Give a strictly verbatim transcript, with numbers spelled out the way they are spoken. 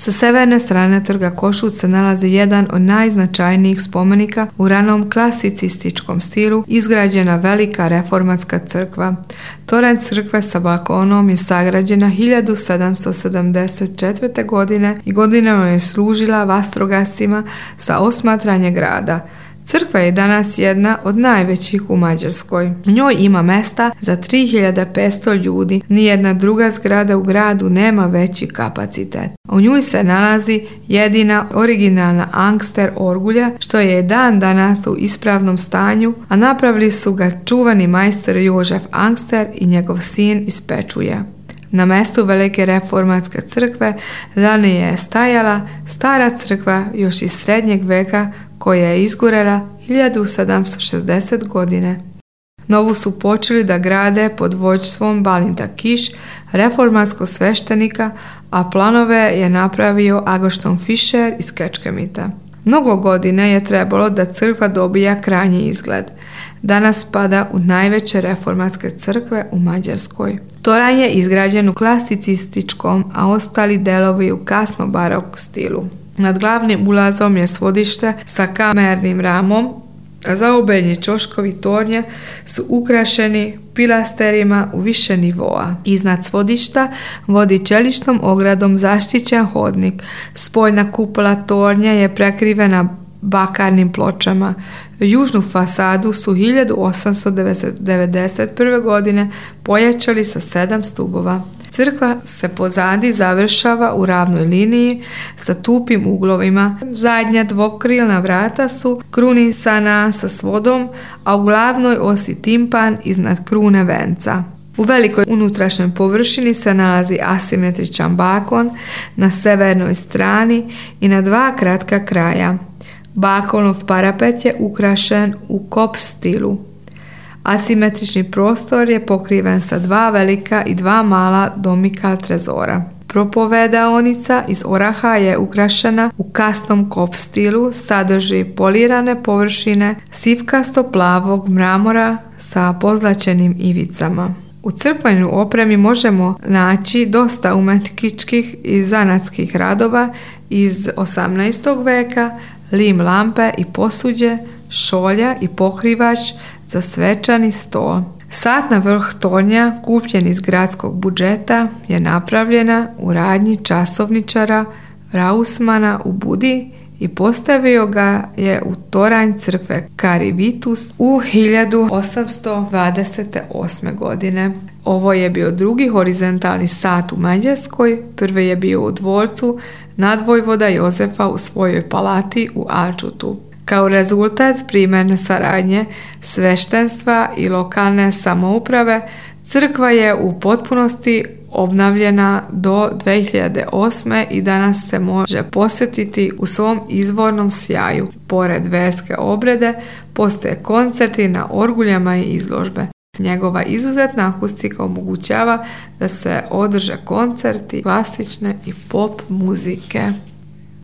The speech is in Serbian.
Sa severne strane trga Košut se nalazi jedan od najznačajnijih spomenika u ranom klasicističkom stilu, izgrađena velika reformatska crkva. Toranj crkve sa balkonom je sagrađena hiljadu sedamsto sedamdeset četvrte. godine i godinama je služila vatrogascima za osmatranje grada. Crkva je danas jedna od najvećih u Mađarskoj. U njoj ima mesta za tri hiljade petsto ljudi. Nijedna druga zgrada u gradu nema veći kapacitet. U njoj se nalazi jedina originalna angster orgulja, što je dan danas u ispravnom stanju, a napravili su ga čuvani majstor Jožef Angster i njegov sin iz Pečuja. Na mjestu velike reformatske crkve ranije je stajala stara crkva još iz srednjeg veka koja je izgorela hiljadu sedamsto šezdesete. godine. Novu su počeli da grade pod vođstvom Balinta Kiš, reformatskog sveštenika, a planove je napravio Agošton Fischer iz Kečkemita. Mnogo godine je trebalo da crkva dobija krajnji izgled. Danas spada u najveće reformatske crkve u Mađarskoj. Toranj je izgrađen u klasicističkom, a ostali delovi u kasno barok stilu. Nad glavnim ulazom je svodište sa kamernim ramom, a zaobeljni ćoškovi tornja su ukrašeni pilasterima u više nivoa. Iznad svodišta vodi čeličnom ogradom zaštićen hodnik. Spoljna kupola tornja je prekrivena bakarnim pločama. Južnu fasadu su hiljadu osamsto devedeset prve. godine pojačali sa sedam stubova. Crkva se pozadi završava u ravnoj liniji sa tupim uglovima. Zadnja dvokrilna vrata su krunisana sa svodom, a u glavnoj osi timpan iznad krune venca. U velikoj unutrašnjoj površini se nalazi asimetričan balkon na severnoj strani i na dva kratka kraja. Balkonov parapet je ukrašen u kop stilu. Asimetrični prostor je pokriven sa dva velika i dva mala domikal trezora. Propovedaonica iz oraha je ukrašena u kasnom kop stilu, sadrži polirane površine sivkasto-plavog mramora sa pozlačenim ivicama. U crkvenoj opremi možemo naći dosta umetničkih i zanatskih radova iz osamnaestog. veka, lim lampe i posuđe, šolja i pokrivač za svečani stol. Sat na vrh tornja, kupljen iz gradskog budžeta, je napravljena u radnji časovničara Rausmana u Budi i postavio ga je u toranj crkve Kari Vitus u hiljadu osamsto dvadeset osme. godine. Ovo je bio drugi horizontalni sat u Mađarskoj, prvi je bio u dvorcu nadvojvoda Jozefa u svojoj palati u Alčutu. Kao rezultat primjerne saradnje sveštenstva i lokalne samouprave, crkva je u potpunosti obnavljena do dve hiljade osme. i danas se može posjetiti u svom izvornom sjaju. Pored verske obrede, postoje koncerti na orguljama i izložbe. Njegova izuzetna akustika omogućava da se održe koncerti klasične i pop muzike.